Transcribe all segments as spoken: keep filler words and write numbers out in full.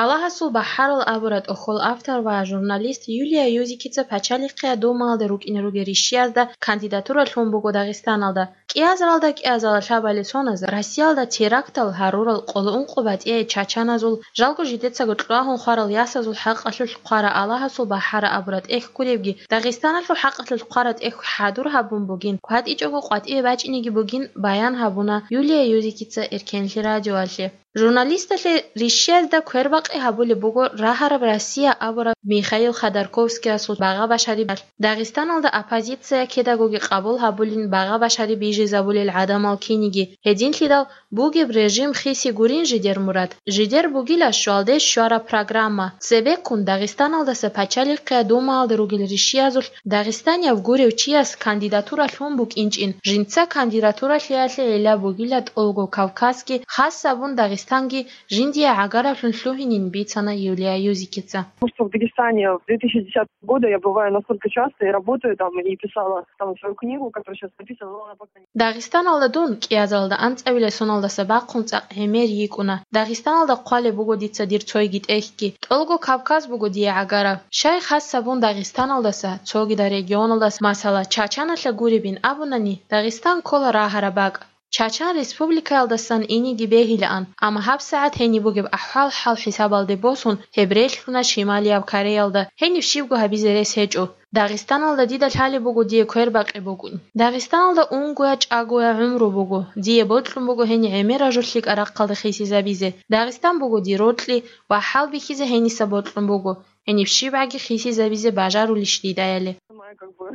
«Аллагьасул бахӀарал» абураб тӀохьол автор ва журналист Юлия Юзикица Пачалихъе Думаялда рукӀине ругел ришшиязда кандидатура лъун буго Дагъистаналда. КӀиазаралда кӀиазарал лъабали соназ Россиялда терактал гьарурал къоло ункъо батӀияй чачаназул, жалго жидецаго кьвагьун хварал ясазул хӀакъалъулъ хъвараб «Аллагьасул бахӀарал» абураб тӀехь гуребги, Дагъистаналъул хӀакъалъулъ хъвараб тӀехь хӀадур гьабун бугин, кватӀичӀого къватӀиве бачӀинеги бугин баян гьабуна Юлия Юзикица Эркенлъи радиоялъе. Журналисталъе ришшиязда квербакъи гьабулеб буго рагьараб «Россия» абураб Михаил Ходорковскиясул багъа башари балъ. Дагъистаналда оппозиция кидагоги къабул гьабулин, багъа башари бижизабулел гӀадамал киниги. Гьединлъидал бугеб режим хиси гурин жидер мурад. Жидер бугила щвалде щвараб программа. Цебеккун Дагъистаналдаса Пачалихъе Думаялда ругел ришшиязулъ дагъистанияв гурев чияс кандидатура лъун букӀинчӀин, жинца кандидатуралъиялъе гӀилла бугила тӀолго Кавказги, хас гьабун Дагъистанги жиндие гӀагараблъун лъугьинин, бицана Юлия Юзикица. Потому что в Дагестане в две тысячи десятого года я бываю настолько часто и работаю там, и писала там свою книгу, которая сейчас написана, но она пока не... Дагъистаналда дун кӀиазаралда анцӀабилеб соналдаса бахъун цӀакъ гӀемер йикӀуна. Дагъистаналда хъвалеб буго дица дир цойги тӀехьги. ТӀолго Кавказ буго дие гӀагараб. Щай хас гьабун Дагъистаналдаса, цогидал регионалдаса, масала, Чачаналъа гуребин абунани, Дагъистан ккола рагьараб бакӀ. Чачан республикаялдасан инеги бегьилаан, амма гьабсагӀат гьениб бугеб ахӀвал-хӀал хӀисабалде босун, гьеб релълъуна Шималияб Кореялда, гьениб щибго гьабизе рес гьечӀо. Дагъистаналда дида лъалеб буго дие квербакъи букӀин. Дагъистаналда унгоя-чӀагоя гӀумру буго. Дие бокьун буго гьениб гӀемер ражу лъикӀаб рахъалда хисизабизе. Дагъистан буго дир рокьи ва хӀалбихьизе гьениса бокьун буго. Гьениб щибгӀаги хисизабизе бажарулищ дидаяли? Моя, как бы,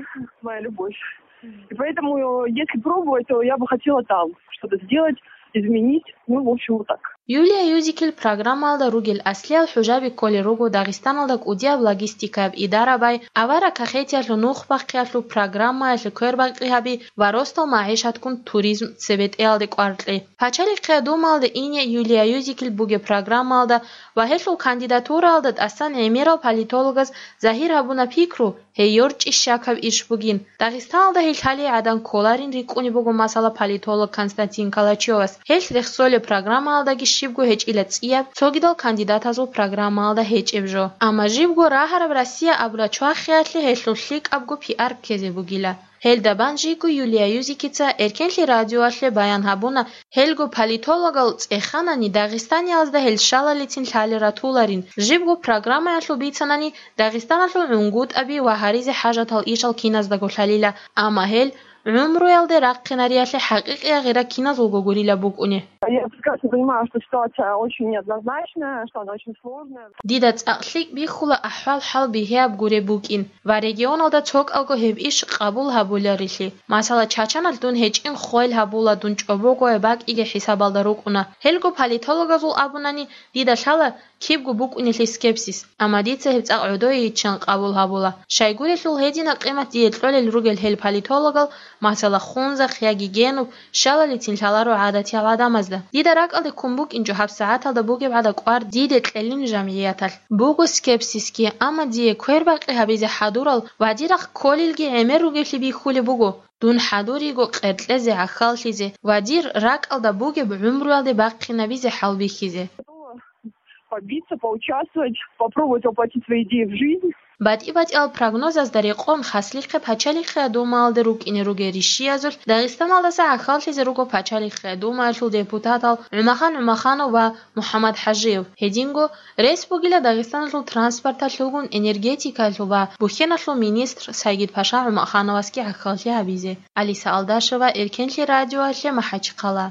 моя любовь. И поэтому, э, если пробовать, то я бы хотела там что-то сделать, изменить. Ну, в общем, вот так. Юлия Юзикил программаялда ругел аслиял хӀужаби кколел руго Дагъистаналда кӀудияб логистикаяб идарабай, авараг кахетиялъул нух бахъиялъул программаялъе квербакъи гьаби ва росдал магӀишатккун туризм цебетӀеялде кӀвар кьей. Пачалихъе Думаялда ине Юлия Юзикил бугеб программаялда ва гьелъул кандидатураялда тӀасан гӀемерал политологаз загьир гьабуна пикру, гьей йорчӀищ щакаб иш бугин. Дагъистаналда гьей лъалей гӀадан кколарин рикӀкӀунеб буго, масала, политолог Константин Калачевас. Гьелъ рехсолеб программаялдаги щибго гьечӀила цӀияб, цогидал кандидатазул программаялда гьечӀеб жо. Амма жибго рагьараб «Россия» абураб чвахиялъе гьелъул лъикӀабго пиар ккезе бугила. Гьелда бан жийго Юлия Юзикица Эркенлъи радиоялъе баян гьабуна, гьелго политологал цӀеханани Дагъистаниязда гьел щалалицин лъалел ратуларин, жибго программаялъул бицанани Дагъистаналъул гӀунгутӀаби ва гьаризе хӀажатал ишал киназдаго лъалила, амма гьел гӀумруялде рахъинариялъе хӀакъикъияб гъира киназулго гурила букӀуни. Я прекрасно понимаю, что ситуация очень неоднозначная, что она очень сложная. Дида цӀакъ лъикӀ бихьула ахӀвал-хӀал бигьияб гуреб букӀин ва регионалда цокӀалго гьеб иш къабул гьабуларилъи. Масала, Чачаналъ дун гьечӀин хвел гьабула, дун чӀобогояб бакӀиги хӀисабалда рукӀуна. Гьелго политологазул абунани, дида лъала кибго букӀунелъи скепсис, амма дица гьеб цӀакъ гӀодойиччан къабул гьабула. Щайгурелъул гьединаб къимат дие кьолел ругел гьел политологал, масала, Хунзахъ яги Генуб, щалалицин лъаларо гӀадатиял гӀадамазда. Дида ракӀалде ккун букӀинчӀо гьабсагӀаталда бугеб гӀадаб кӀвар диде кьелин жамгӀияталъ. Буго скепсисги, амма дие квербакъи гьабизе хӀадурал ва дир рахъ кколелги гӀемер ругелъи бихьулеб буго. Дун хӀадуриго къеркьезе, гӀахьаллъизе ва дир ракӀалда бугеб гӀумруялде бахъинабизе хӀалбихьизе. Побиться, поучаствовать, попробовать воплотить свои идеи в жизнь. БатӀи-батӀиял прогнозазда рекъон, хаслихъе Пачалихъе Думаялда рукӀине ругел ришшиязулъ Дагъистаналдаса гӀахьаллъизе руго Пачалихъе Думаялъул депутатал ГӀумахан ГӀумаханов ва МухӀаммад ХӀажиев. Гьединго рес бугила Дагъистаналъул транспорталъулгун энергетикаялъул ва бухьеналъул министр Сайгидпаша ГӀумахановасги гӀахьаллъи гьабизе. Алиса Алдашева, Эркенлъи радиоялъе, МахӀачхъала.